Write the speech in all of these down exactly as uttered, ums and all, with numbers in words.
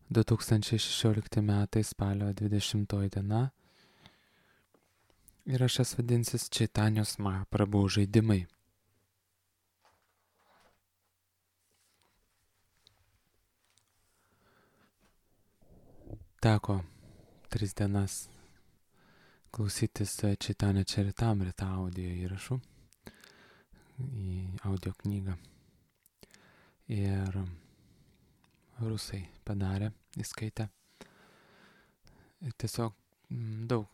du tūkstančiai šešiolikti metai spalio dvidešimtoji diena. Įrašas vadinsis Čaitanjos Mahaprabhu žaidimai. Teko tris dienas klausytis Čaitanio Čaritamrita audio įrašų į audio knygą. Ir rusai padarė, įskaitė. Ir tiesiog daug,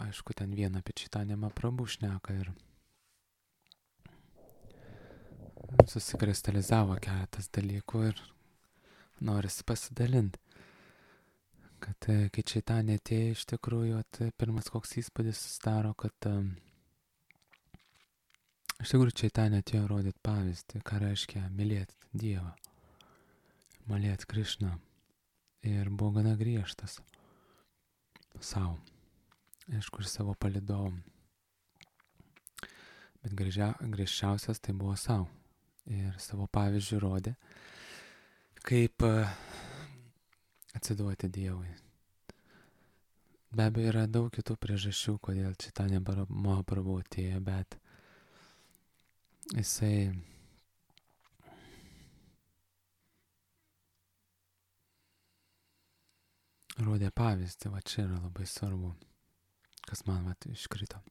aišku, ten vieną apie Čaitanją Mahaprabhu šneka ir susikristalizavo keletas dalykų ir norisi pasidalinti. Kad kai Čaitanė atėjo, iš tikrųjų, at, pirmas koks įspūdis susidaro, kad um, iš tikrųjų Čaitanė atėjo rodyti pavyzdį, ką reiškia mylėti Dievą, mylėti Krišną. Ir buvo gana griežtas savo, aišku, ir savo palydovom. Bet griežia, griežčiausias tai buvo savo. Ir savo pavyzdžių rodė, kaip uh, atsiduoti Dievui. Be abejo, yra daug kitų priežasčių, kodėl Čaitanja Mahaprabhu atėjo, bet jisai rodė pavyzdį, va čia yra labai svarbu, kas man va iškrito.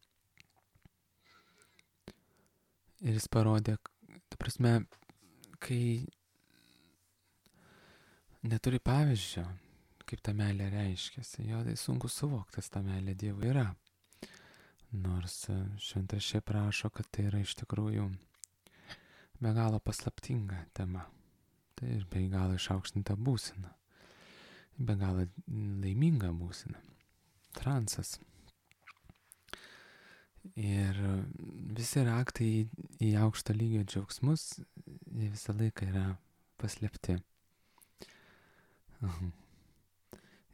Ir jis parodė, ta prasme, kai neturi pavyzdžio, kaip ta meilė reiškiasi, jo tai sunku suvokti, kas ta meilė Dievui yra. Nors šventraščiai prašo, kad tai yra iš tikrųjų be galo paslaptinga tema. Tai ir be galo išaukštinta būsena. Be galo laiminga būsena. Transas. Ir visi raktai į, į aukšto lygio džiaugsmus, jie visą laiką yra paslėpti. Uh-huh.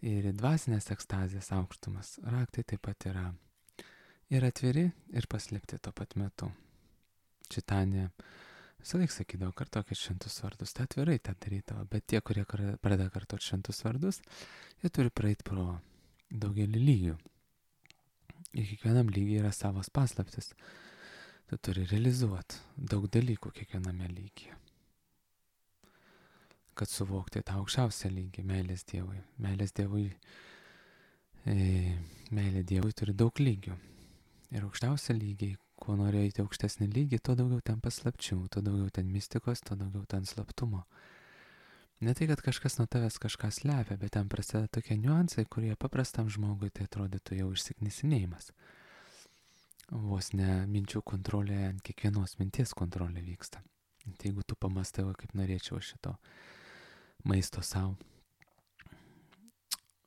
Ir dvasinės ekstazės aukštumas raktai taip pat yra ir atviri, ir paslėpti tuo pat metu. Čaitanė visą laiką sakydavo, kartokit šventus vardus, tai atvirai tą darydavo, bet tie, kurie pradeda kartoti šventus vardus, jie turi praeiti pro daugelį lygių. Ir kiekvienam lygiai yra savas paslaptis. Tu turi realizuoti daug dalykų kiekviename lygyje. Kad suvokti tą aukščiausią lygį, meilės Dievui. Meilės Dievui, e, meilė Dievui turi daug lygių. Ir aukščiausią lygiai, kuo nori eiti aukštesnį lygį, tuo daugiau ten paslapčių, tuo daugiau ten mistikos, tuo daugiau ten slaptumo. Ne tai, kad kažkas nuo tavęs kažką slepia, bet ten prasideda tokie niuansai, kurie paprastam žmogui tai atrodytų jau išsiknisinėjimas. Vos ne minčių kontrolė, ant kiekvienos minties kontrolė vyksta. Tai jeigu tu pamastai, kaip norėčiau šito maisto savo.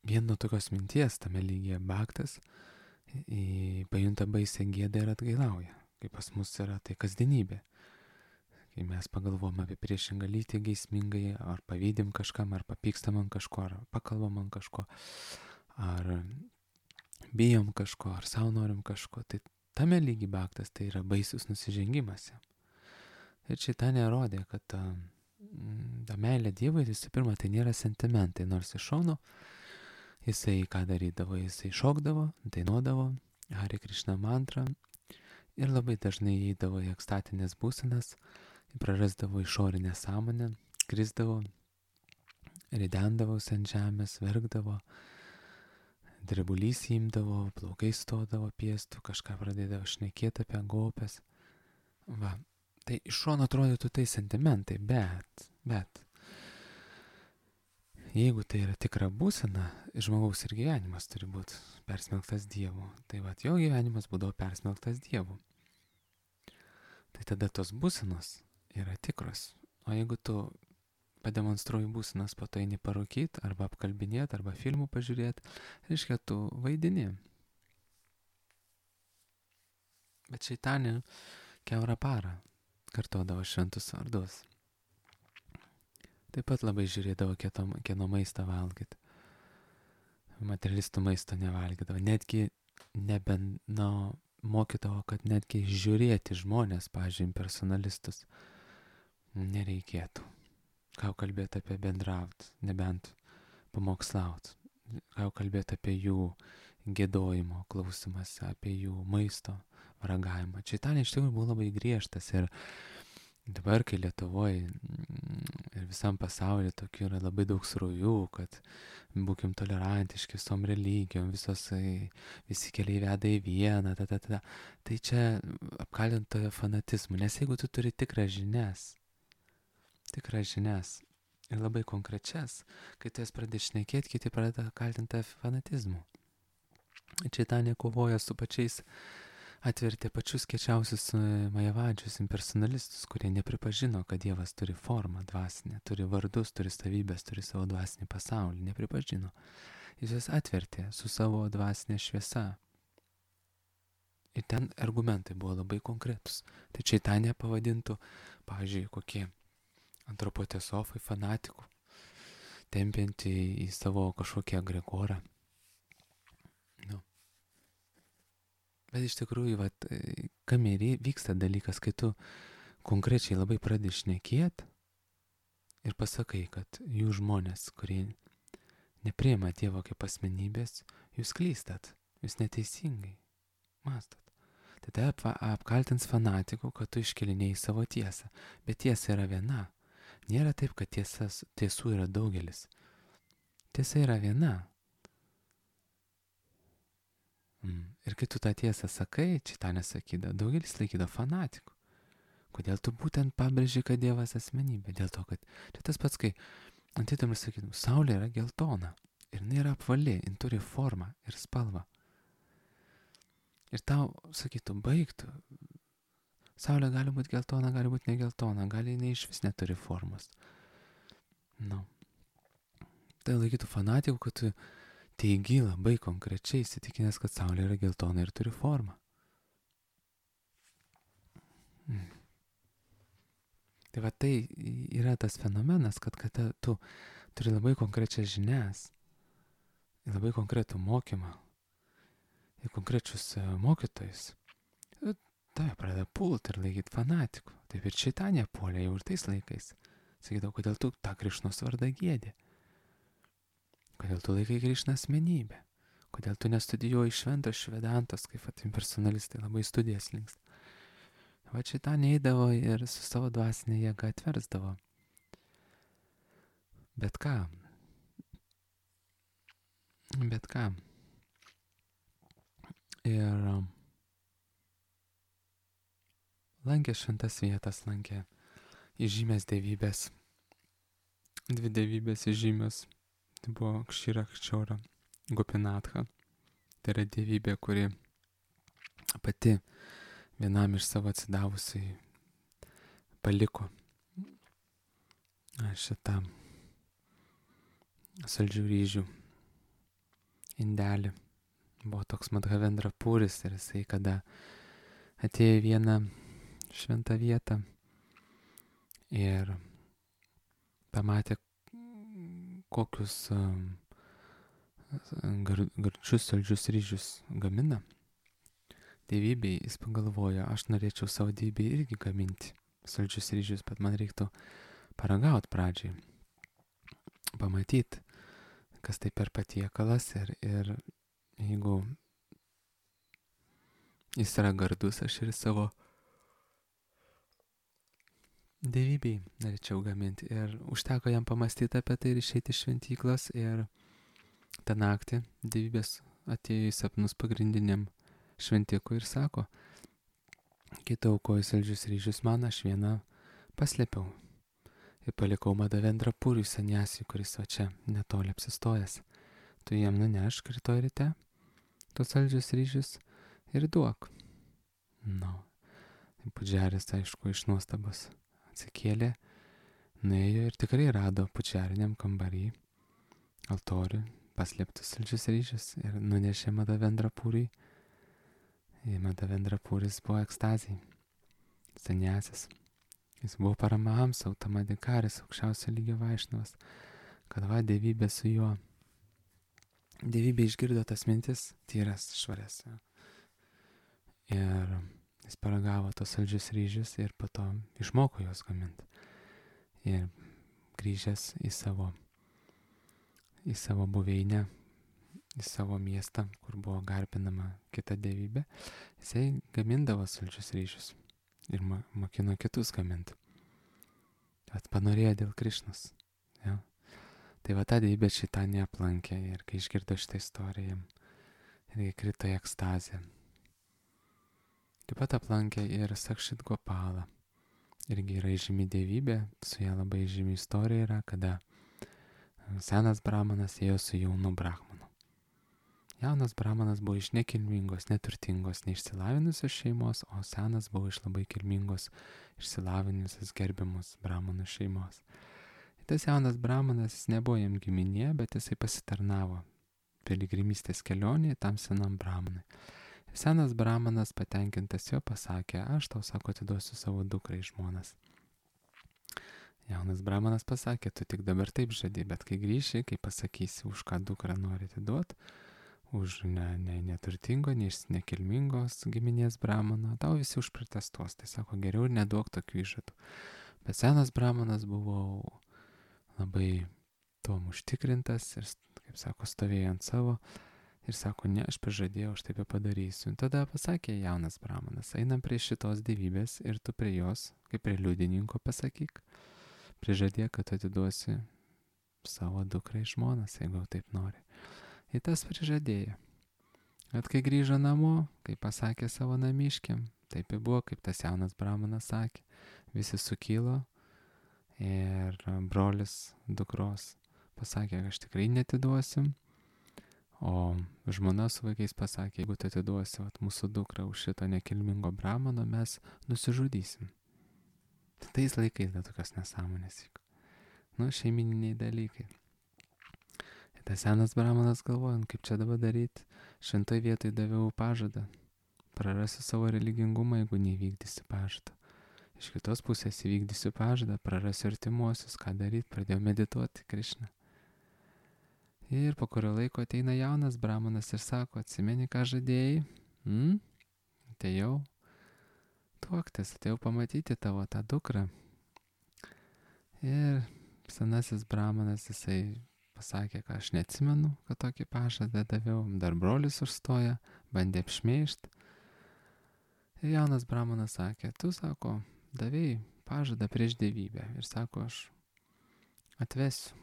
Vien nuo tokios minties tame lygyje baktas į, pajunta baisę gėdą ir atgailauja. Kaip pas mus yra tai kasdienybė. Kai mes pagalvom apie priešingą lytį geismingai, ar pavydim kažkam, ar papykstam ant kažko, ar pakalbam ant kažko, ar bijom kažko, ar savo norim kažko, tai tame lygy baktas tai yra baisus nusižengimas. Ir Čaitanė rodė, kad ta, ta meilė Dievui, visų pirma, tai nėra sentimentai, nors iš šono jisai ką darydavo, jisai šokdavo, dainuodavo, Hare Krishna mantrą ir labai dažnai įeidavo į ekstatinės būsenas, prarasdavo išorinę sąmonę, krisdavo, ridendavosi ant žemės, verkdavo, drebulys įimdavo, plaukai stodavo piestų, kažką pradėdavo šnekėti apie gopes. Va, tai iš šono atrodytų tai sentimentai, bet, bet, jeigu tai yra tikra būsena, žmogaus ir gyvenimas turi būti persmelktas Dievu. Tai va, jo gyvenimas būdavo persmelktas Dievu. Tai tada tos būsenos yra tikros. O jeigu tu pademonstruoji būsenas, po to eini parūkyt, arba apkalbinėt, arba filmų pažiūrėt, reiškia, tu vaidini. Bet Čaitanė kiaurą parą kartodavo šventus vardus. Taip pat labai žiūrėdavo, kieno maistą valgyti. Materialistų maisto nevalgydavo. Netgi nebent, na, mokydavo, kad netgi žiūrėti žmonės, pavyzdžiui, personalistus, nereikėtų. Ką kalbėti apie bendrauti, nebent pamokslauti. Ką jau kalbėti apie jų gėdojimo klausimas, apie jų maisto ragavimą. Čaitanė iš tikrųjų buvo labai griežtas ir dabar, kai Lietuvoje ir visam pasaulyje tokių yra labai daug srovių, kad būkim tolerantiški visom religijom, visos, visi keliai veda į vieną, ta, ta, ta. Tai čia apkaltintojo fanatizmu, nes jeigu tu turi tikras žinias, tikras žinias ir labai konkrečias, kai tu jas pradedi šnekėti, kiti pradeda kaltinti fanatizmu. Čaitanė kovoja su pačiais, atvertė pačius kečiausius majavadžius, impersonalistus, kurie nepripažino, kad Dievas turi formą dvasinę, turi vardus, turi savybės, turi savo dvasinį pasaulį, nepripažino. Jis jas atvertė su savo dvasinė šviesa. Ir ten argumentai buvo labai konkretus. Tai Čaitanė pavadintų, pavyzdžiui, kokie antropotesofai, fanatikų, tempianti į savo kažkokią agregorą. Nu. Bet iš tikrųjų, vat, kame ir vyksta dalykas, kai tu konkrečiai labai pradedi šnekėt ir pasakai, kad jūs žmonės, kurie nepriima Dievo kaip asmenybės, jūs klystat, jūs neteisingai mastat. Tai tai ap, apkaltins fanatikų, kad tu iškelinėjai savo tiesą. Bet tiesa yra viena. Nėra taip, kad tiesas, tiesų yra daugelis. Tiesa yra viena. Mm. Ir kai tu tą tiesą sakai, Čaitanė sakydavo, daugelis laikydavo fanatikų. Kodėl tu būtent pabrėži, kad Dievas asmenybė? Dėl to, kad čia tas pats, kai antitam ir sakydavo, saulė yra geltona. Ir jinai yra apvali, jin turi formą ir spalvą. Ir tau sakytų, baigtų. Saulė gali būti geltona, gali būti negeltona, gali jinai iš vis neturi formos. Nu. Tai laikytų fanatikų, kad tu teigi labai konkrečiai įsitikinęs, kad saulė yra geltona ir turi formą. Mm. Tai va tai yra tas fenomenas, kad, kad tu turi labai konkrečias žinias, labai konkretų mokymą ir konkrečius mokytojus. Tave pradeda pult ir laikyti fanatikų. Taip ir Čaitanė puolė jau ir tais laikais. Sakydavo, kodėl tu tą Krišnos vardą giedi? Kodėl tu laikai Krišną asmenybę? Kodėl tu nestudijuoji šventos švedantos, kaip impersonalistai labai studijas links? Va Čaitanė eidavo ir su savo dvasinė jėga atversdavo. Bet ką? Bet ką? Ir lankė šventas vietas, lankė įžymės dievybės, dvi dievybės įžymios. Tai buvo Kšira Kščiora Gopinatha. Tai yra dievybė, kuri pati vienam iš savo atsidavusiai paliko šitą saldžių ryžių indelį. Buvo toks Madhavendra Puris ir jisai, kada atėjo į vieną šventą vietą ir pamatė, kokius gar, gardžius saldžius ryžius gamina dievybei, jis pagalvojo, aš norėčiau savo dievybei irgi gaminti saldžius ryžius, bet man reiktų paragauti pradžiai, pamatyti, kas tai per patiekalas ir, ir jeigu jis yra gardus, aš ir savo dievybei norėčiau gaminti. Ir užteko jam pamastyti apie tai ir išeiti iš šventyklos. Ir tą naktį dievybės atėjo į sapnus pagrindiniam šventikui ir sako, kai tu aukoji saldžius ryžius man, aš vieną paslėpiau. Ir palikau Madhavendra Puriui saniasiui, kuris va čia netoli apsistojęs. Tu jam nunešk rytoj ryte tos saldžius ryžius ir duok. Nu, Pudžiaris, aišku, iš nuostabos atsikėlė, nuėjo ir tikrai rado pučiariniam kambarį, altorių, paslėptus saldžius ryžius ir nunešė Madhavendra Puriui. Ir Madhavendra Puris buvo ekstazijai, saniasis. Jis buvo Paramahamsa, Utamadikaris, aukščiausio lygio vaišnavas, kad va dievybė su juo. Dievybė išgirdo tas mintis, tyras, švarias. Ir jis paragavo tos saldžius ryžius ir po to išmoko juos gaminti. Ir grįžęs į savo į savo buveinę, į savo miestą, kur buvo garbinama kita dievybė, jisai gamindavo saldžius ryžius ir mo- mokino kitus gaminti. Bet panorėjo dėl Krišnos. Ja. Tai va ta dievybė šitą neaplankė ir kai išgirdo šitą istoriją, irgi krito į ekstazę. Taip pat aplankė ir Sakšit Gopalą. Irgi yra žymi dievybė, su ją labai žymi istorija yra, kada senas brahmanas ėjo su jaunu brahmanu. Jaunas brahmanas buvo iš nekilmingos, neturtingos, neišsilavinusios šeimos, o senas buvo iš labai kilmingos, išsilavinusios, gerbiamos brahmanų šeimos. Ir tas jaunas brahmanas, jis nebuvo jam giminė, bet jisai pasitarnavo piligrimystės kelionėje tam senam brahmanui. Ir senas brahmanas patenkintas jo pasakė, aš tau, sako, atiduosiu savo dukrą į žmonas. Jaunas brahmanas pasakė, tu tik dabar taip žadi, bet kai grįši, kai pasakysi, už ką dukrą nori atiduoti, už ne, ne, neturtingo, ne iš nekilmingos giminės brahmano, tau visi užprotestuos. Tai sako, geriau ir neduok tokių įžadų. Bet senas brahmanas buvo labai tuom užtikrintas ir, kaip sako, stovėjo ant savo ir sako, ne, aš prižadėjau, aš taip ir padarysiu. Ir tada pasakė jaunas brahmanas, einam prie šitos dievybės ir tu prie jos, kaip prie liudininko pasakyk, prižadėk, kad atiduosi savo dukrą į žmonas, jeigu taip nori. Ir tas prižadėjo. Bet kai grįžo namo, kai pasakė savo namiškiam, taip ir buvo, kaip tas jaunas brahmanas sakė, visi sukilo ir brolis dukros pasakė, aš tikrai netiduosim, o žmona su vaikais pasakė, jeigu tu atiduosi vat, mūsų dukrą už šito nekilmingo brahmano, mes nusižudysim. Tais laikais dar tokios nesąmonės vyko. Nu, šeimininiai dalykai. Ir tas senas brahmanas galvoja, kaip čia dabar daryti, šintoj vietoj daviau pažadą, prarasiu savo religingumą, jeigu neįvykdysiu pažadą. Iš kitos pusės įvykdysiu pažadą, prarasiu artimuosius, ką daryti, pradėjau medituoti Krišną. Ir po kurio laiko ateina jaunas brahmanas ir sako, atsimeni, ką žadėjai? Hmm? Atėjau tuoktis, atėjau pamatyti tavo tą dukrą. Ir senasis brahmanas, jisai pasakė, kad aš neatsimenu, kad tokį pažadą daviau. Dar brolis užstoja, bandė apšmeižti. Ir jaunas brahmanas sakė, tu, sako, davėjai pažadą prieš dievybę. Ir sako, aš atvesiu.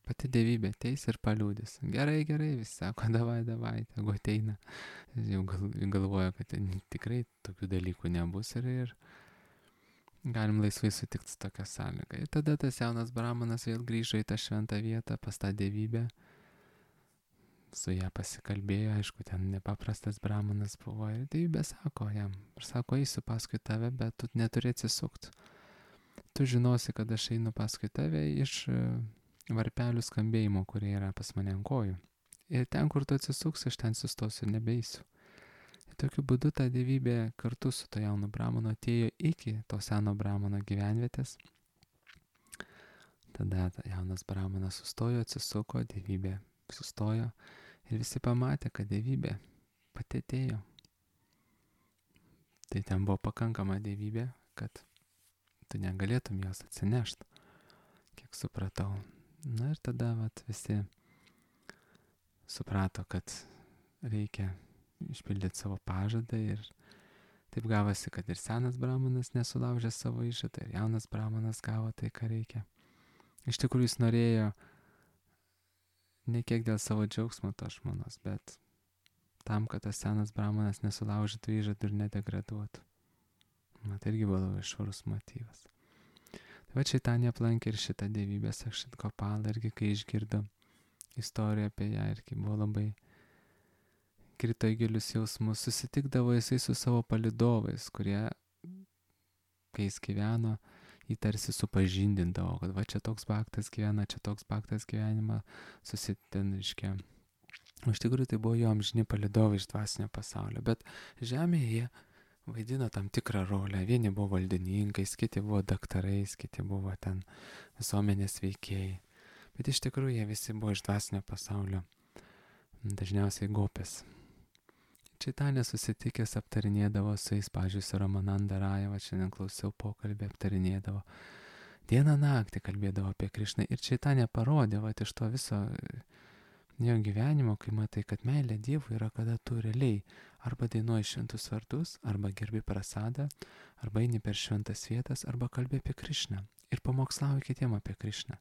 Pati dievybė ateis ir paliūdys. Gerai, gerai, visi sako, davai, davai, tegu ateina. Jau gal, galvoja, kad tikrai tokių dalykų nebus ir, ir galim laisvai sutikti su tokia sąlyga. Ir tada tas jaunas brahmanas vėl grįžo į tą šventą vietą, pas tą dievybę. Su ją pasikalbėjo, aišku, ten nepaprastas brahmanas buvo. Ir dievybė sako jam, aš sako, eisiu paskui tave, bet tu neturi atsisukti. Tu žinosi, kad aš einu paskui tave iš varpelių skambėjimo, kurie yra pas mane ant kojų. Ir ten, kur tu atsisuks, aš ten sustosiu ir nebeisiu. Ir tokiu būdu ta dievybė kartu su to jaunu brahmanu atėjo iki to seno brahmano gyvenvietės. Tada jaunas brahmanas sustojo, atsisuko, dievybė sustojo ir visi pamatė, kad dievybė pati atėjo. Tai ten buvo pakankama dievybė, kad tu negalėtum jos atsinešti, kiek supratau. Na ir tada vat, visi suprato, kad reikia išpildyti savo pažadą ir taip gavosi, kad ir senas brahmanas nesulaužė savo įžadą ir jaunas brahmanas gavo tai, ką reikia. Iš tikrųjų jis norėjo ne kiek dėl savo džiaugsmo to žmonos, bet tam, kad tas senas brahmanas nesulaužytų įžadų ir nedegraduotų. Na, tai irgi buvo labai švarus motyvas. Va Čaitanija aplankė ir šitą dievybę Sakšit Gopalą, irgi kai išgirdo istoriją apie ją, irgi buvo labai krito į gilius jausmus, susitikdavo jisai su savo palydovais, kurie, kai jis gyveno, jį tarsi supažindindavo, kad va čia toks baktas gyvena, čia toks baktas gyvenimą susitiniškė. Iš tikrųjų tai buvo jo amžini palydovai iš dvasinio pasaulio, bet žemėje jie vaidino tam tikrą rolę. Vieni buvo valdininkais, kiti buvo daktarais, kiti buvo ten visuomenės veikėjai. Bet iš tikrųjų jie visi buvo iš dvasinio pasaulio, dažniausiai gopės. Čaitanija susitikęs aptarinėdavo su jais, pavyzdžiui, su Ramananda Rajava, šiandien klausiau pokalbį, aptarinėdavo. Dieną naktį kalbėdavo apie Krišną ir Čaitanija parodė, va, iš to viso jo gyvenimo, kai matai, kad meilė Dievui yra, kada tu realiai arba dainuoji šventus vardus, arba gerbi prasadą, arba eini per šventas vietas, arba kalbi apie Krišną ir pamokslauji kitiem apie Krišną.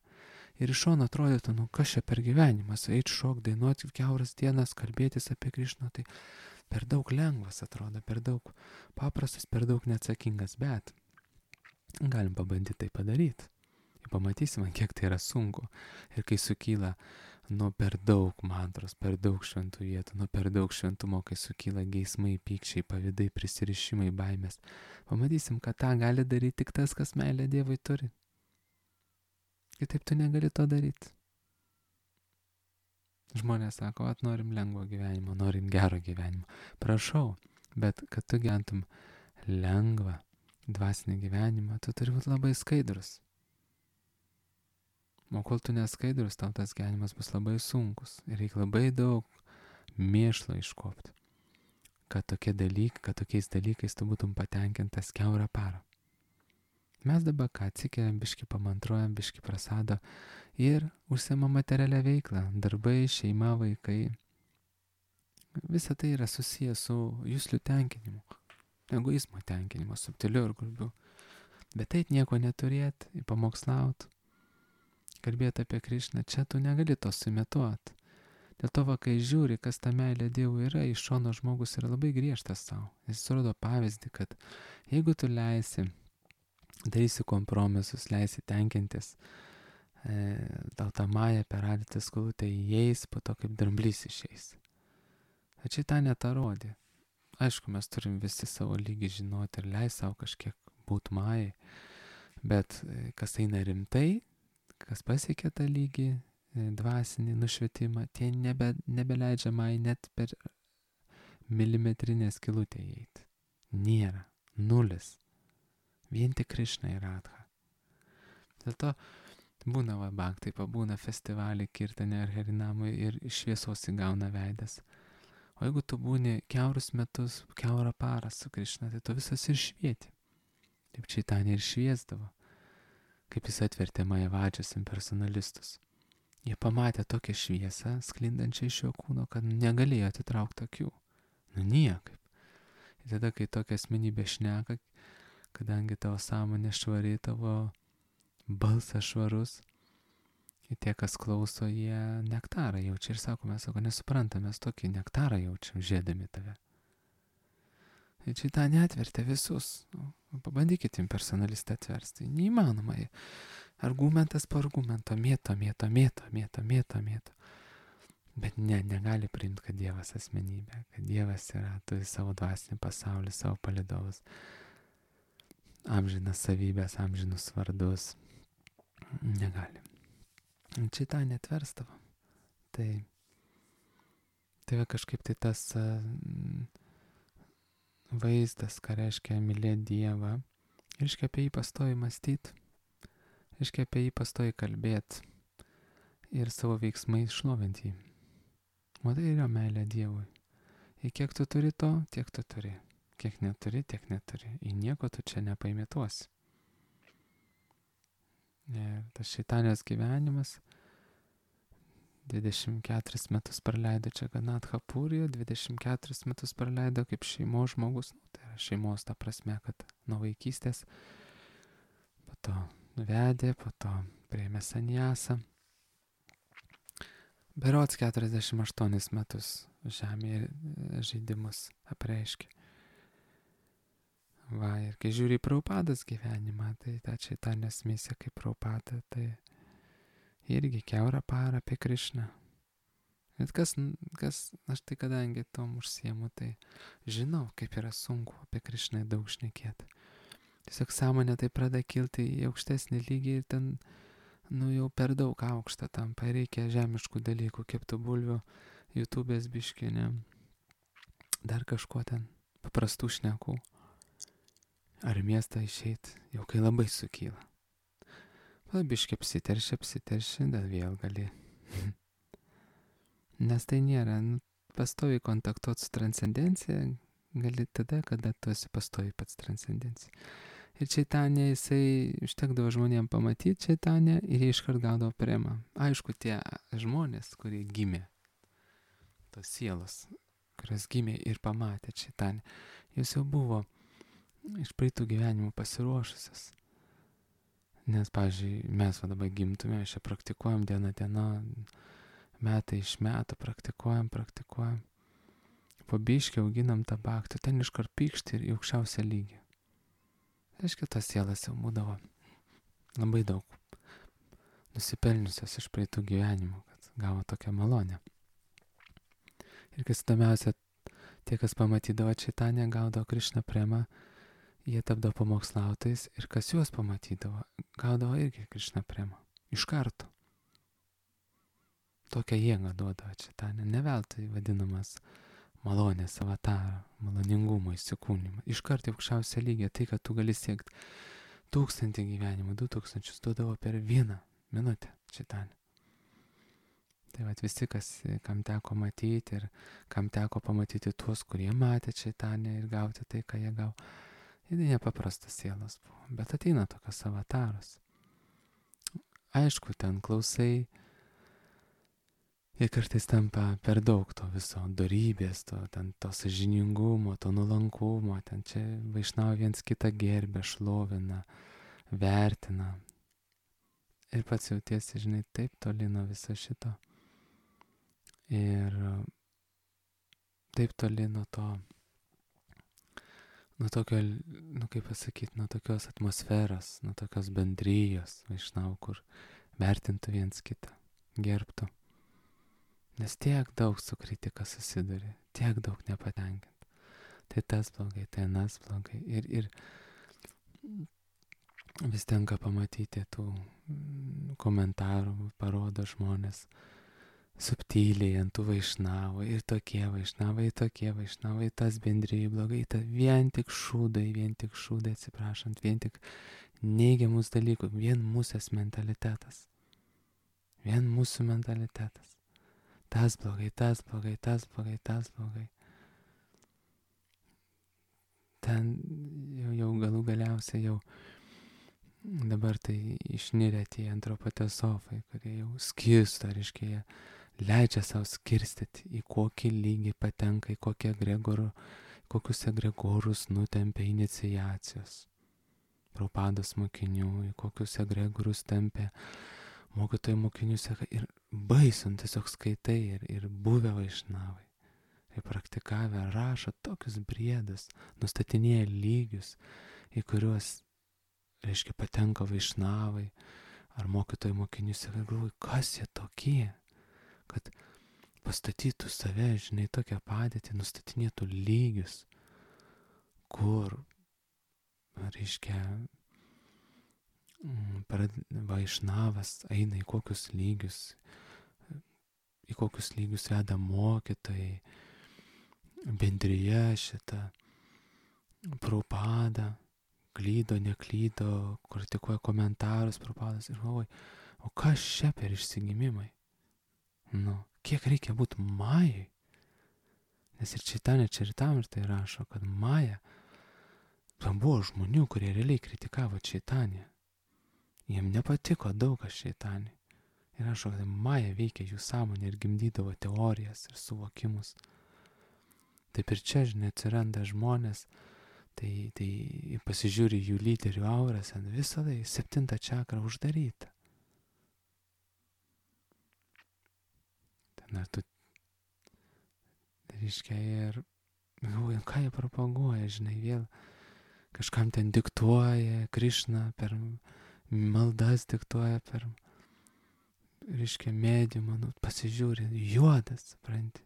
Ir iš šono atrodytų, nu kas čia per gyvenimas, eit šok, dainuoti kiauras dienas, kalbėtis apie Krišną, tai per daug lengvas atrodo, per daug paprastas, per daug neatsakingas, bet galim pabandyti tai padaryti. Ir pamatysim, kiek tai yra sunku. Ir kai sukyla nuo per daug mantros, per daug šventų vietų, nuo per daug šventumo, kai sukyla geismai, pykčiai, pavydai, prisirišimai, baimės, pamatysim, kad tą gali daryti tik tas, kas meilę Dievui turi. Kitaip tu negali to daryti. Žmonės sako, at norim lengvo gyvenimo, norim gero gyvenimo. Prašau, bet kad tu gyventum lengvą dvasinį gyvenimą, tu turi būti labai skaidrus. O kol tu neskaidrus, tau tas gyvenimas bus labai sunkus. Ir reikia labai daug mėšlo iškopti, kad tokie dalykai, kad tokiais dalykais tu būtum patenkintas kiaurą parą. Mes dabar ką atsikeliam, biški pamantruojam, biški prasado ir užsiema materialią veiklą, darbai, šeima, vaikai. Visa tai yra susijęs su juslių tenkinimu, egoizmo tenkinimu, subtiliu ir grubiu. Bet eit nieko neturėt, pamokslaut, kalbėti apie Krišną, čia tu negali to sumetuoti. Dėl to, va, kai žiūri, kas ta meilė Dievui yra, iš šono žmogus yra labai griežtas savo. Jis rodo pavyzdį, kad jeigu tu leisi, darysi kompromisus, leisi tenkintis, e, tau tą mają per adytą skulutę įeis, po to kaip dramblys išeis. Tačiau tą netarodė. Aišku, mes turim visi savo lygį žinoti ir leis savo kažkiek būti majai, bet kas eina rimtai, kas pasiekia tą lygį, dvasinį nušvietimą, tie nebe, nebeleidžia majai net per milimetrinę skylutę įeiti. Nėra. Nulis. Vien tik Krišna ir Radha. Dėl to būna va bhaktai, pabūna festivalį, kirtane ar herinamui ir šviesos įgauna veidas. O jeigu tu būni kiaurus metus, kiaurą parą su Krišna, tai tu visas ir švieti. Taip Čaitanė ir šviesdavo, kaip jis atvertė Majavadžius impersonalistus. Jie pamatė tokią šviesą, sklindančią iš jo kūno, kad negalėjo atitraukti akių. Nu niekaip. Ir tada, kai tokia asmenybė šneka, kadangi tavo sąmonė švari, tavo balsas švarus, ir tie, kas klauso, jie nektarą jaučia. Ir sako, mes sako, nesuprantam, mes tokį nektarą jaučiam, žiedami tave. Ir čia tą netvertė visus. Nu, pabandykit impersonalistą atversti. Neįmanoma. Argumentas po argumento, mėto, mėto, mėto, mėto, mėto, mėto. Bet ne, negali priimti, kad Dievas asmenybė, kad Dievas yra, turi savo dvasinį pasaulį, savo palydovus, amžinas savybės, amžinus vardus. Negali. Čia tą netverstavo. Tai, tai va kažkaip tai tas uh, vaizdas, ką reiškia mylėti Dievą, reiškia apie jį pastoji mąstyti, reiškia apie jį pastoji kalbėti ir savo veiksmais šlovinti jį. O tai yra meilė Dievui. Ir kiek tu turi to, tiek tu turi. Kiek neturi, tiek neturi. Į nieko tu čia nepaimėtuosi. Ir tas Čaitanės gyvenimas dvidešimt keturis metus praleido čia Ganatha Purijoje, dvidešimt keturis metus praleido kaip šeimos žmogus, nu, tai yra šeimos ta prasme, kad nuo vaikystės, po to vedė, po to priėmė sanjasą. Berods keturiasdešimt aštuonis metus žemėje žaidimus apreiškė. Va, ir kai žiūri į Prabhupados gyvenimą, tai ta Čaitanės misija kaip Prabhupada, tai irgi kiaurą parą apie Krišną. Bet kas, kas, aš tai kadangi tom užsiemu, tai žinau, kaip yra sunku apie Krišną daug šnekėti. Tiesiog sąmonė tai pradeda kilti į aukštesnį lygį ir ten, nu jau per daug aukštą tampa, reikia žemiškų dalykų, keptų bulvių, YouTube'ės biškinė, dar kažko ten, paprastų šnekų. Ar miestą išeit, jau kai labai sukyla. Biškai apsiteršia, apsiteršia, dar vėl gali. Nes tai nėra, nu, pastoviai kontaktuoti su transcendencija, gali tada, kada tu esi pastoviai pats transcendencija. Ir Čaitanė, jisai užtekdavo žmonėm pamatyti Čaitanę ir jie iškart gaudavo premą. Aišku, tie žmonės, kurie gimė tos sielos, kurios gimė ir pamatė šeitanę, jos jau buvo iš praeitų gyvenimų pasiruošusios. Nes, pavyzdžiui, mes va dabar gimtume, čia praktikuojam dieną dieną, metai iš metų praktikuojam, praktikuojam. Po biškį auginam tą baktį, ten iškart pykšti ir į aukščiausią lygį. Aiškiai, tas sielas jau būdavo labai daug nusipelniusios iš praeitų gyvenimų, kad gavo tokią malonę. Ir kas įdomiausia, tie, kas pamatydavo šeitanę, gaudavo Krišna premą, jie tapdavo pamokslautais ir kas juos pamatydavo, gaudavo irgi Krišna premą. Iš karto. Tokią jėgą duodavo šeitanė, ne veltui vadinamas malonės avatarą, maloningumo įsikūnymą. Iš karto aukščiausią lygį, tai, kad tu gali siekti tūkstantį gyvenimų, du tūkstančius duodavo per vieną minutę šeitanė. Tai vat visi, kas, kam teko matyti ir kam teko pamatyti tuos, kurie matė šeitanę ir gauti tai, ką jie gavo, tai nepaprastas sielas buvo. Bet ateina tokios avataros. Aišku, ten klausai, ir kartais tampa per daug to viso dorybės, to, ten, to sąžiningumo, to nuolankumo, ten čia vaišnava viens kitą gerbė, šlovina, vertina. Ir pats jautiesi, žinai, taip toli nuo viso šito. Ir taip toli nuo to, nuo tokio, nu kaip pasakyti, nuo tokios atmosferos, nuo tokios bendrijos vaišnavų, kur vertintų viens kitą, gerbtų. Nes tiek daug su kritika susiduri, tiek daug nepatenkinti. Tai tas blogai, tai anas blogai. Ir, ir vis tenka pamatyti tų komentarų, parodo žmonės subtiliai ant tų vaišnavų. Ir tokie vaišnavai, tokie vaišnavai, tas bendrijai blogai, ta vien tik šūdai, vien tik šūdai, atsiprašant, vien tik neigiamus dalykų, vien mūsės mentalitetas. Vien mūsų mentalitetas. Tas blogai, tas blogai, tas blogai, tas blogai. Ten jau, jau galų galiausiai jau dabar tai išnirę tie antropotezofai, kurie jau skirsto, reiškia, jie leidžia savo skirstyti, į kokį lygį patenka, į kokią egregorų, kokius egregorus nutempia iniciacijos. Prabhupados mokinių, į kokius egregorus tempia mokytojų mokinių seka ir baisu, tiesiog skaitai ir, ir buvę vaišnavai, ir praktikavę rašo tokius briedus, nustatinėja lygius, į kuriuos, reiškia, patenka vaišnavai, ar mokytojų mokinių seka, ir galvoju, kas jie tokie, kad pastatytų save, žinai, tokią padėtį, nustatinėtų lygius, kur, reiškia, vaišnavas eina į kokius lygius, į kokius lygius veda mokytojai, bendrija šitą, Prabhupada, klydo, neklydo, kritikuoja komentarus Prabhupadas ir galvoja, o kas čia per išsigimimai? Nu, kiek reikia būti majai? Nes ir Čaitanė Čaritamrita rašo, kad maja, tam buvo žmonių, kurie realiai kritikavo Čaitanę. Jiem nepatiko daug kas šeitanį. Ir rašo, kad maja veikia jų sąmonę ir gimdydavo teorijas ir suvokimus. Taip ir čia, žinai, atsiranda žmonės, tai, tai pasižiūri jų lyderių auras, ant visada į septintą čakrą uždaryta. Ten ar tu, reiškia, ir galvoju, ką jie propaguoja, žinai, vėl kažkam ten diktuoja Krišna per maldas diktuoja per, reiškia, mediumą, nu, pasižiūrė, juodas, supranti.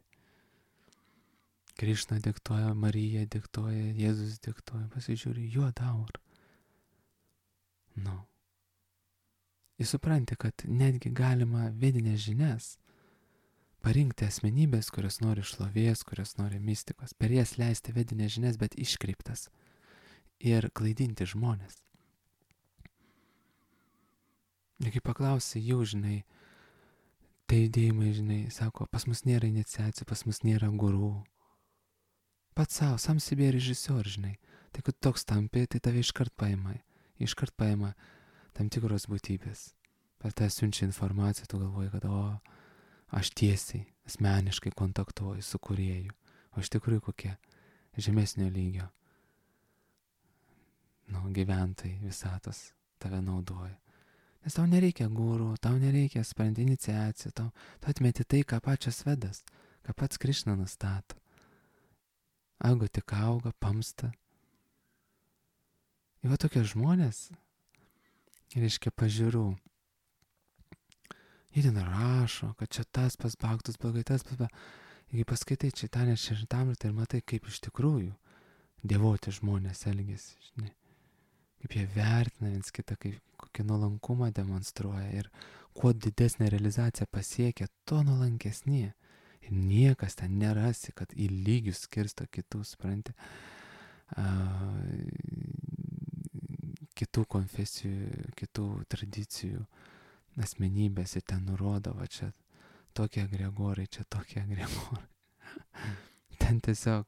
Krišna diktuoja, Marija diktuoja, Jėzus diktuoja, pasižiūrė, juoda aura. Nu. Ir supranti, kad netgi galima vedinės žinias parinkti asmenybės, kurios nori šlovės, kurios nori mistikos, per jas leisti vedinės žinias, bet iškreiptas ir klaidinti žmonės. Ir kai paklausai jau, žinai, tai judėjimai, žinai, sako, pas mus nėra iniciacijų, pas mus nėra gurų. Pats savo, sam себе režisior, žinai. Tai kad toks tampi, tai tave iškart paima, iškart paima tam tikros būtybės. Per tą siunčia informaciją, tu galvoji, kad, o, aš tiesiai, asmeniškai kontaktuoju su kūrėju, o iš tikrųjų kokie žemesnio lygio, nu, gyventojai visatos tave naudoja. Nes tau nereikia gurų, tau nereikia sprendti iniciacijų, tau, tau atmeti tai, ką pačias Vedas, ką pats Krišna nustato. Ego tik auga, pamsta. Ir va tokie žmonės, reiškia pažiūrų, jie ten rašo, kad čia tas pas baktus blogai, tas pas baktus. Ir kai paskaitai Čaitanę Čaritamritą ir matai, kaip iš tikrųjų dievoti žmonės elgiasi, žinai. Kaip jie vertina viens kitą, kaip kokį nuolankumą demonstruoja ir kuo didesnė realizacija pasiekia, tuo nuolankesnė. Ir niekas ten nerasi, kad į lygius skirsto kitų, supranti, a, kitų konfesijų, kitų tradicijų asmenybės ir ten nurodo, va čia tokie agregorai, čia tokie agregorai. Ten tiesiog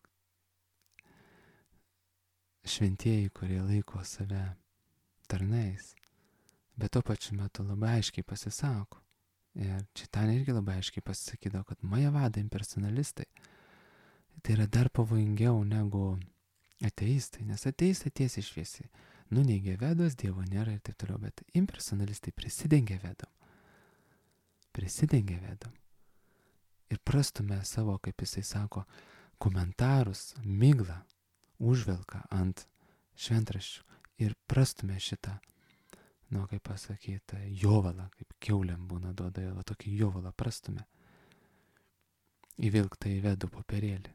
šventieji, kurie laiko save tarnais, bet tuo pačiu metu labai aiškiai pasisako. Ir Čaitanė irgi labai aiškiai pasisakydavo, kad majavada impersonalistai tai yra dar pavojingiau negu ateistai, nes ateistai tiesiai šviesiai nuneigia Vedas, Dievo nėra ir taip toliau, bet impersonalistai prisidengia Vedam. Prisidengia Vedam. Ir prastumia savo, kaip jisai sako, komentarus, miglą užvelka ant šventraščių ir prastumia šitą, nu, kaip pasakyti, jovalą, kaip kiauliam būna duoda, va tokį jovalą prastumia, įvilktą į Vedų popierėlį.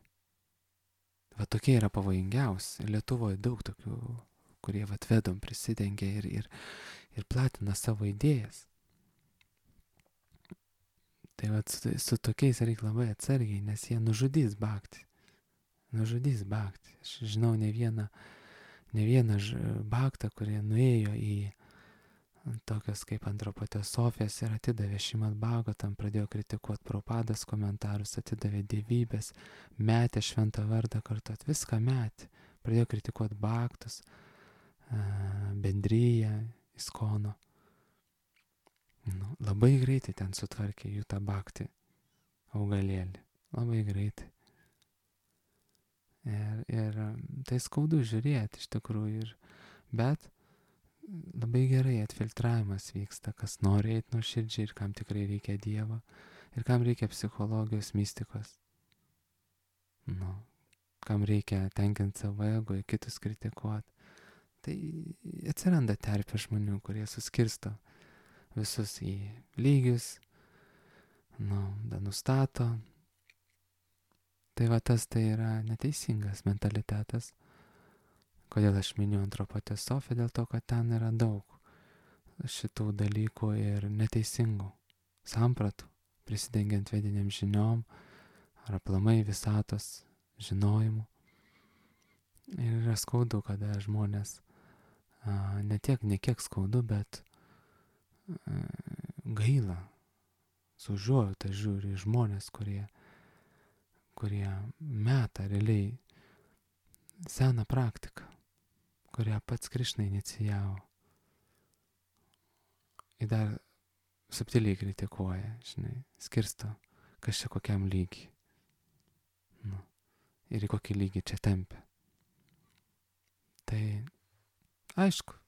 Va tokie yra pavojingiausi. Lietuvoje daug tokių, kurie va Vedom prisidengia ir, ir, ir platina savo idėjas. Tai va su, su tokiais reikia labai atsargiai, nes jie nužudys bhaktį. Nužudys bhaktį. Aš žinau ne vieną, ne vieną bhaktą, kurie nuėjo į tokias kaip antropotesofijas ir atidavė Šrimad Bhagavatam, pradėjo kritikuoti Prabhupados komentarus, atidavė dievybės, metė šventą vardą kartuot, viską metė, pradėjo kritikuoti bhaktus, bendryją, iskono. Nu, labai greitai ten sutvarkė jų tą bhaktį augalėlį, labai greitai. Ir, ir tai skaudu žiūrėti iš tikrųjų, ir, bet labai gerai atfiltravimas vyksta, kas nori eiti nuoširdžiai ir kam tikrai reikia Dievo ir kam reikia psichologijos, mistikos. Nu, kam reikia tenkinti savo ego ir kitus kritikuoti. Tai atsiranda terpė žmonių, kurie suskirsto visus į lygius, nu, da nustato. Tai va tas tai yra neteisingas mentalitetas. Kodėl aš miniu antropotesofiją? Dėl to, kad ten yra daug šitų dalykų ir neteisingų sampratų, prisidengiant vediniam žiniom ar aplamai visatos žinojimu. Ir yra skaudu, kada žmonės, a, ne tiek, ne kiek skaudu, bet a, gaila, su užuojauta žiūri žmonės, kurie, kurie meta realiai seną praktiką, kurią pats Krišna inicijavo. Ir dar subtiliai kritikuoja, žinai, skirsto, kas čia kokiam lygiai. Nu, ir į kokį lygį čia tempia. Tai aišku,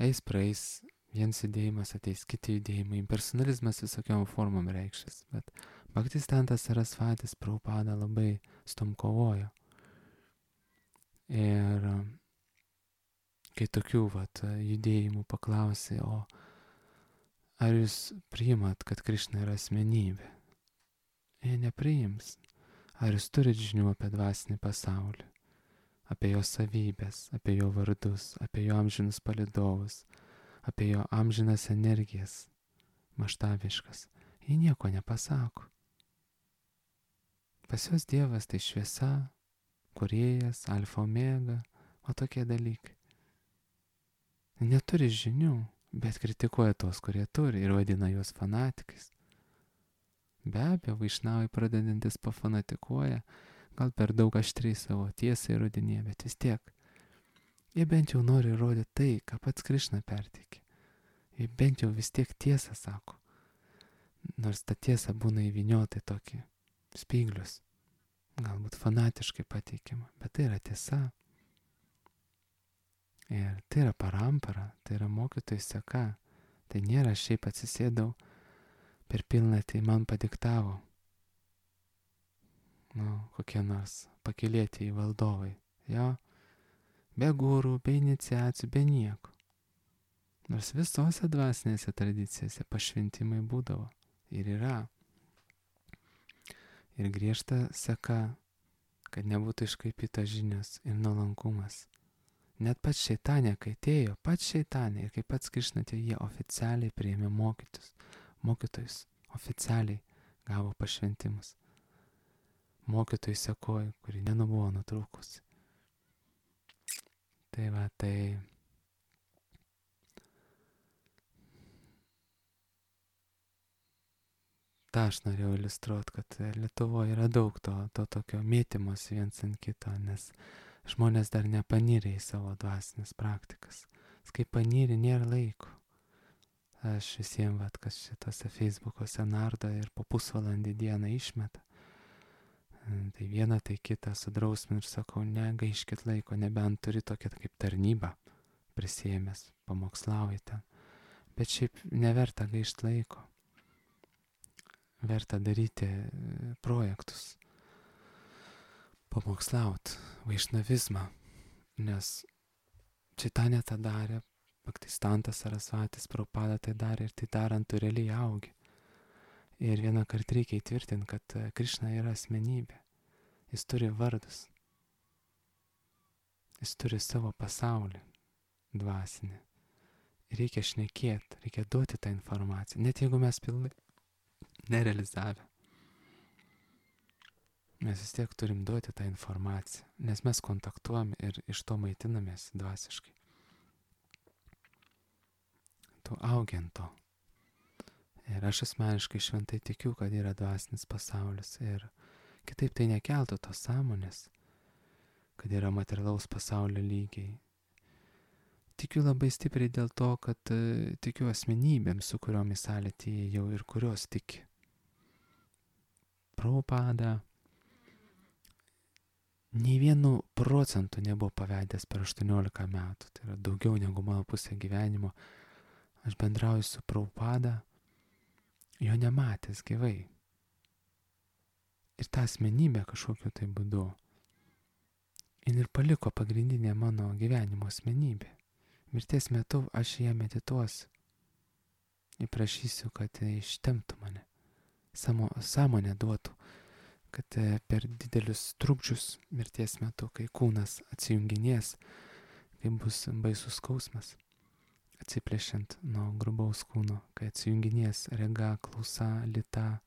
eis praeis, vienas judėjimas ateis, kiti judėjimai, impersonalizmas visokiom formom reikšės, bet Bhaktisiddhanta Sarasvatis Prabhupada labai su tom kovojo. Ir kai tokių vat judėjimų paklausė, o ar jūs priimat, kad Krišna yra asmenybė? Jie nepriims. Ar jūs turit žinių apie dvasinį pasaulį, apie jo savybės, apie jo vardus, apie jo amžinus palydovus, apie jo amžinas energijas, maštaviškas? Jie nieko nepasako. Pas juos Dievas tai šviesa, kūrėjas, alfa omega, o tokie dalykai. Neturi žinių, bet kritikuoja tos, kurie turi ir vadina juos fanatikais. Be abejo, vaišnavai pradedantis pafanatikuoja, gal per daug aštriai savo tiesą įrodinėja, bet vis tiek. Jie bent jau nori įrodyti tai, ką pats Krišna perteikė. Jie bent jau vis tiek tiesą sako. nors ta tiesa būna įvyniota į tokį spyglius, galbūt fanatiškai pateikiama, bet tai yra tiesa. Ir tai yra parampara, tai yra mokytojų seka. Tai nėra šiaip atsisėdau per pilnatį man padiktavo. Nu, kokie nors pakilėti į valdovai. Jo, be gurų, be iniciacijų, be nieko. Nors visose dvasinėse tradicijose pašventimai būdavo ir yra. Ir griežta seka, kad nebūtų iškaipytas žinios ir nuolankumas. Net pats šeitanė, kai atėjo, pats šeitanė ir kaip pats Krišna atėjo, jie oficialiai priėmė mokytus, mokytojus, oficialiai gavo pašventimus. Mokytojų sekoju, kuri nenubuvo nutrūkusi. Tai va, tai tą aš norėjau iliustruoti, kad Lietuvoje yra daug to, to tokio mėtymos viens ant kito, nes žmonės dar nepanyrė į savo dvasinės praktikas. Kai panyrė, nėra laiko. Aš visiems, vat, kas šitose Facebook'ose nardo ir po pusvalandį dieną išmeta. Tai vieną, tai kitą sudrausmin ir sakau, negaiškit laiko, nebent turi tokią kaip tarnybą prisėmęs, pamokslauji ten. Bet šiaip neverta gaišt laiko. Verta daryti projektus. Pamokslaut vaišnavizmą, nes Čaitanė tą darė, Bhaktistantas Sarasvatis Prabhupada tai darė ir tai darant tu realiai augi. Ir vieną kartą reikia įtvirtinti, kad Krišna yra asmenybė. Jis turi vardus. Jis turi savo pasaulį dvasinį. Reikia šnekėti, reikia duoti tą informaciją, net jeigu mes pilnai nerealizavę. Mes vis tiek turim duoti tą informaciją, nes mes kontaktuojam ir iš to maitinamės dvasiškai. Tu augiant to. Ir aš asmeniškai šventai tikiu, kad yra dvasinis pasaulis ir kitaip tai nekeltų tos sąmonės, kad yra materialaus pasaulio lygiai. Tikiu labai stipriai dėl to, kad uh, tikiu asmenybėms, su kuriomis salė atėjau ir kurios tiki. Prabhupada nei vienu procentu nebuvo pavedęs per aštuoniolika metų. Tai yra daugiau negu mano pusė gyvenimo. Aš bendrauju su Prabhupada, jo nematęs gyvai. Ir tą asmenybę kažkokiu tai būdu. Ir paliko pagrindinė mano gyvenimo asmenybė. Mirties metu aš ją medituosiu. Ir prašysiu, kad ištemptų mane. Samo, sąmonę duotų. Kad per didelius trukdžius mirties metu, kai kūnas atsijunginės, kai bus baisus skausmas, atsiplėšiant nuo grubaus kūno, kai atsijunginės rega, klausa, lyta,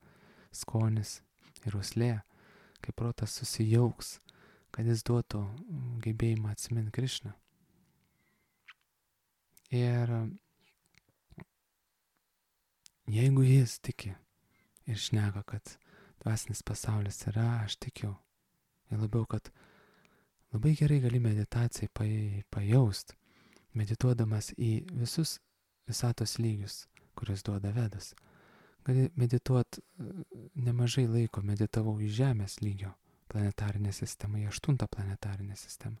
skonis ir uoslė, kai protas susijauks, kad jis duotų gebėjimą atsiminti Krišną. Ir jeigu jis tiki ir šneka, kad dvasinis pasaulis yra, aš tikiu. Ir labiau, kad labai gerai gali meditacijai pajaust, medituodamas į visus visatos lygius, kuriuos duoda Vedas. Gali medituoti nemažai laiko, meditavau į Žemės lygio planetarinę sistemą, į aštuntą planetarinę sistemą.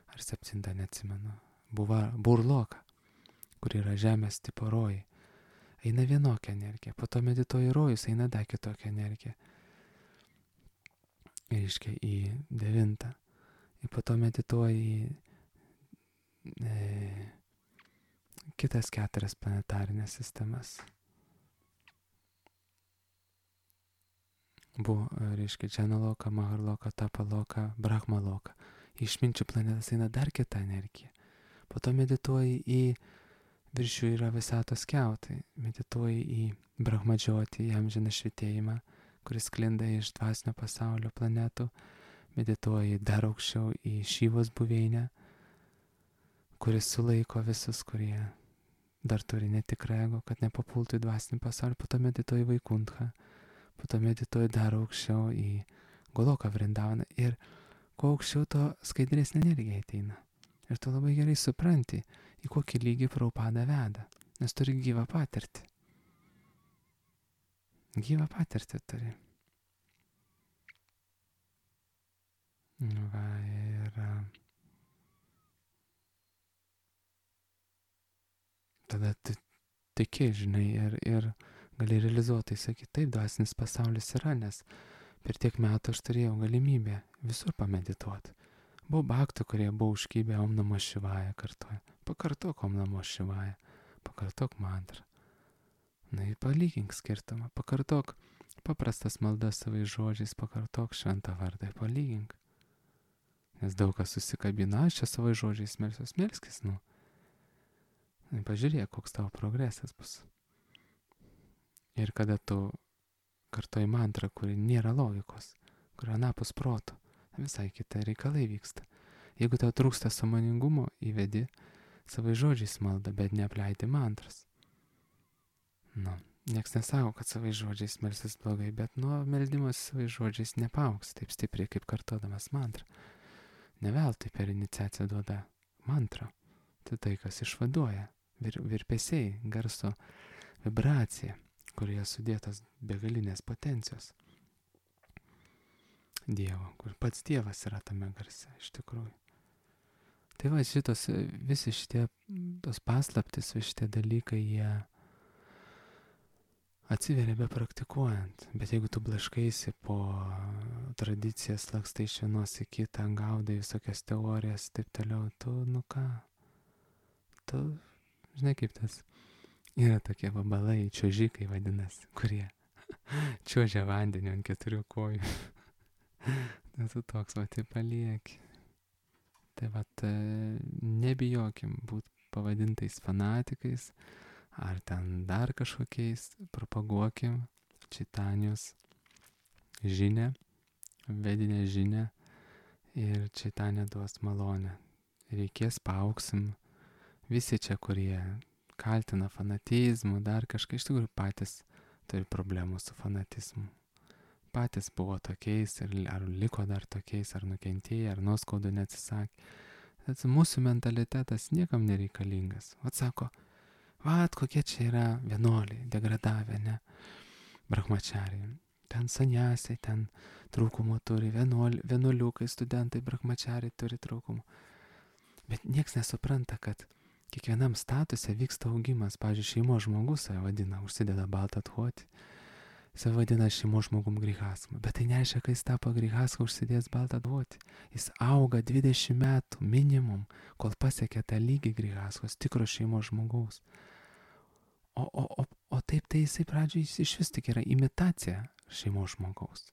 Ar septintą, neatsimenu. Buva, burloka, kur yra Žemės tipo rojai. Eina vienokia energija, po to medituoji rojus, eina dar kitokia energija. Ir iškia į devintą. Ir po to medituoji į e, kitas keturias planetarinės sistemas. Buvo, reiškia, Džanaloka, Maharloka, Tapaloka, Brahmaloka. Išminčių planetas eina dar kita energija. Po to medituoji į virš jų yra visatos kiautai. Medituoji į Brahmadžiotį, į amžiną švitėjimą, kuris sklinda iš dvasinio pasaulio planetų. Medituoji dar aukščiau į Šyvos buveinę, kuris sulaiko visus, kurie dar turi netikrą ego, kad nepapultų į dvasinį pasaulį. Po to medituoji Vaikuntchą, po to medituoji dar aukščiau į Goloką Vrindavaną. Ir kuo aukščiau, to skaidresnė energija ateina. Ir tu labai gerai supranti, į kokį lygį Prabhupada veda, nes turi gyvą patirtį. gyvą patirtį turi. Va, ir tada tu tiki, žinai, ir, ir gali realizuotai sakyti, taip, dvasinis pasaulis yra, nes per tiek metų aš turėjau galimybę visur pamedituoti. Buvo bhaktų, kurie buvo užkybę Om Namo Šivaja kartuoja. Pakartok Om Namo Šivaja, pakartok mantrą. Na ir palygink skirtumą, pakartok paprastas maldas savais žodžiais, pakartok šventą vardą, palygink. Nes daug kas susikabina, aš čia savais žodžiais melsiuos, melskis, nu. Na, pažiūrėk, koks tavo progresas bus. Ir kada tu kartoji mantrą, kuri nėra logikos, kuri anapus proto, visai kita reikalai vyksta. Jeigu tau trūksta sąmoningumo, įvedi savai žodžiais maldą, bet neapleidi mantras. Nu, nieks nesako, kad savai žodžiais melsis blogai, bet nuo meldimas savai žodžiais nepauks taip stipriai, kaip kartodamas mantrą. Ne veltui per iniciaciją duoda mantrą. Tai tai, kas išvaduoja, vir, virpesiai, garso vibracija, kurioje sudėtas begalinės potencijos Dievo, kur pats Dievas yra tame garse, iš tikrųjų. Tai va, šitos, visi šitie, tos paslaptis, visi šitie dalykai, jie atsiveria be praktikuojant. Bet jeigu tu blaškaisi po tradicijas, lakstai iš vienos į kitą, gaudai visokias teorijas, taip toliau, tu, nu ką, tu, žinai kaip tas, yra tokie vabalai, čiuožikai vadinasi, kurie čiuožia vandeniu ant keturių kojų. Tai tu toks, va, tai palieki. Tai va, nebijokim būti pavadintais fanatikais, ar ten dar kažkokiais, propaguokim Čaitanijos žinią, vedinę žinią, ir Čaitanija duos malonę. Reikės, paauksim. Visi čia, kurie kaltina fanatizmu, dar kažkai, iš tikrųjų patys turi problemų su fanatizmu. Patys buvo tokiais, ir ar liko dar tokiais, ar nukentėjo, ar nuoskaudų neatsisakė. Bet mūsų mentalitetas niekam nereikalingas. Vat sako, vat kokie čia yra vienuoliai, degradavę, ne, brahmačariai. Ten saniasiai, ten trūkumų turi, vienuoli, vienuoliukai, studentai, brahmačariai turi trūkumų. Bet nieks nesupranta, kad kiekvienam statuse vyksta augimas. Pavyzdžiui, šeimos žmogus save vadina, užsideda baltą athuotį. Jis vadina šeimos žmogum grihasmu, bet tai nereiškia, kad jis tapo grihasmu užsidės baltą duotį. Jis auga dvidešimt metų minimum, kol pasiekia tą lygį grihasmos, tikro šeimos žmogaus. O, o, o, o taip tai jisai pradžioje jis iš vis tik yra imitacija šeimos žmogaus.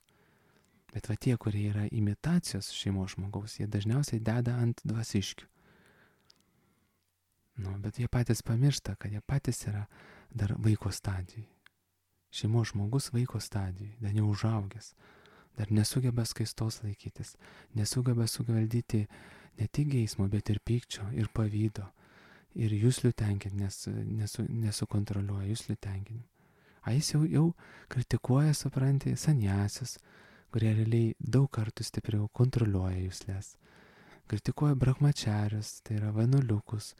Bet va tie, kurie yra imitacijos šeimos žmogaus, jie dažniausiai deda ant dvasiškių. Nu, bet jie patys pamiršta, kad jie patys yra dar vaiko stadijai. Šeimos žmogus vaiko stadijai, dar neužaugęs, dar nesugeba skaistos laikytis, nesugeba suvaldyti ne tik geismo, bet ir pykčio, ir pavydo, ir juslių tenkinti, nes nesu, nesukontroliuoja juslių tenkinimą. A jis jau, jau kritikuoja, supranti, saniasius, kurie realiai daug kartų stipriau kontroliuoja juslės. Kritikuoja brahmačarius, tai yra vienuoliukus,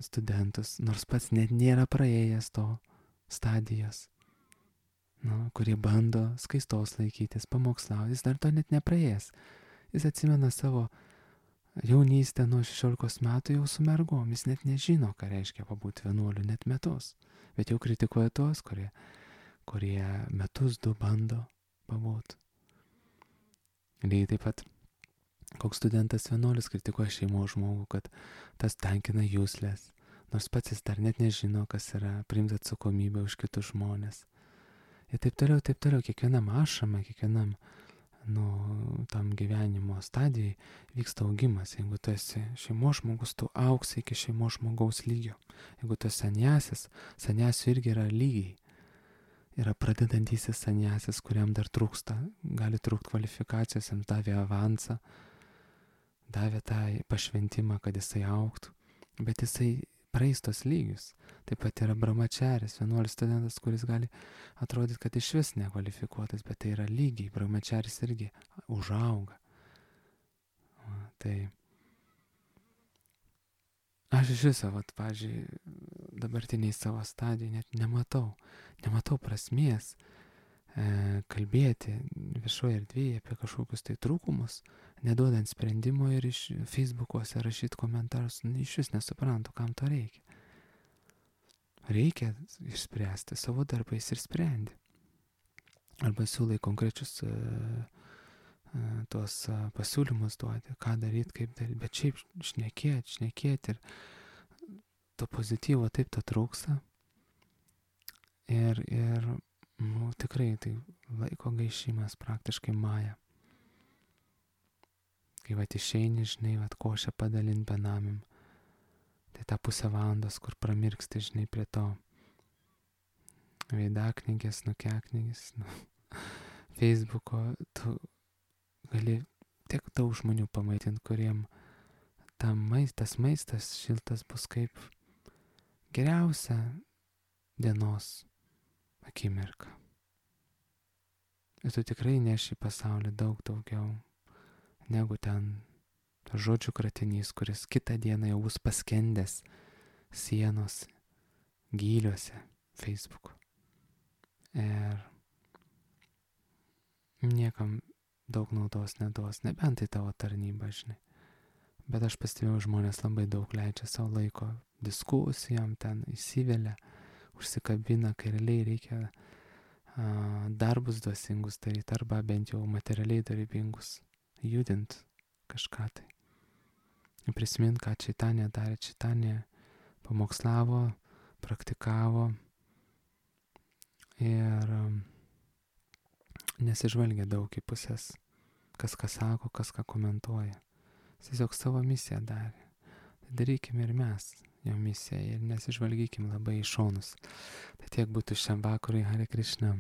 studentus, nors pats net nėra praėjęs to stadijos, nu, kurie bando skaistos laikytis, pamokslauti, jis dar to net nepraėjęs. Jis atsimena savo jaunystę nuo šešiolikos metų jau su mergom, jis net nežino, ką reiškia pabūti vienuoliu net metus, bet jau kritikuoja tos, kurie, kurie metus du bando pabūti. Lygiai taip pat, koks studentas vienuolis kritikuoja šeimos žmogų, kad tas tenkina juslės, nors pats jis dar net nežino, kas yra priimti atsakomybę už kitus žmonės. Ir taip toliau, taip toliau, kiekvienam ašrame, kiekvienam, nu, tam gyvenimo stadijai vyksta augimas. Jeigu tu esi šeimos žmogus, tu auksi iki šeimos žmogaus lygio. Jeigu tu esi saniasis, saniasių irgi yra lygiai. Yra pradedantysis saniasis, kuriam dar trūksta, gali trūkti kvalifikacijos, jam davė avansą, davė tą pašventimą, kad jisai augtų, bet jisai praeistos lygius. Taip pat yra brahmačaris, vienuolis studentas, kuris gali atrodyti, kad iš vis nekvalifikuotas, bet tai yra lygiai, brahmačaris irgi užauga. O, tai aš iš viso, vat, pavyzdžiui, dabartiniai savo stadijai net nematau, nematau prasmės e, kalbėti viešoje erdvėje apie kažkokius tai trūkumus, neduodant sprendimo ir iš Facebook'uose rašyti komentarus, nu, iš vis nesuprantu, kam to reikia. Reikia išspręsti savo darbais ir sprendi. Arba siūlai konkrečius uh, uh, tuos uh, pasiūlymus duoti, ką daryti, kaip daryti, bet šiaip šnekėti, šnekėti ir to pozityvo taip to trūksta. Ir, ir nu, tikrai tai laiko gaišimas praktiškai maja. Kai vat išeini, žinai, vat košę padalint benamim, tai tą pusę valandos, kur pramirksti, žinai, prie to veidaknygės, nukiaknygės, nu, Facebook'o, tu gali tiek daug žmonių pamaitinti, kuriem ta maist, tas maistas šiltas bus kaip geriausia dienos akimirka. Ir tu tikrai neši į pasaulį daug daugiau negu ten žodžių kratinys, kuris kitą dieną jau bus paskendęs sienos gyliuose Facebook'o. Ir niekam daug naudos neduos, nebent tai tavo tarnyba, žinai. Bet aš pastebėjau, žmonės labai daug leidžia savo laiko diskusijom, ten įsivelia, užsikabina, kai realiai reikia a, darbus dvasingus daryti, arba bent jau materialiai darbingus, judint kažką tai. Prisimint, ką Čaitanė darė. Čaitanė pamokslavo, praktikavo ir um, nesižvalgia daug į pusės, kas ką sako, kas ką komentuoja. Jis tiesiog savo misiją darė. Tai darykime ir mes jo misiją ir nesižvalgykim labai į šonus. Tai tiek būtų šiam vakarui. Hare Krishna.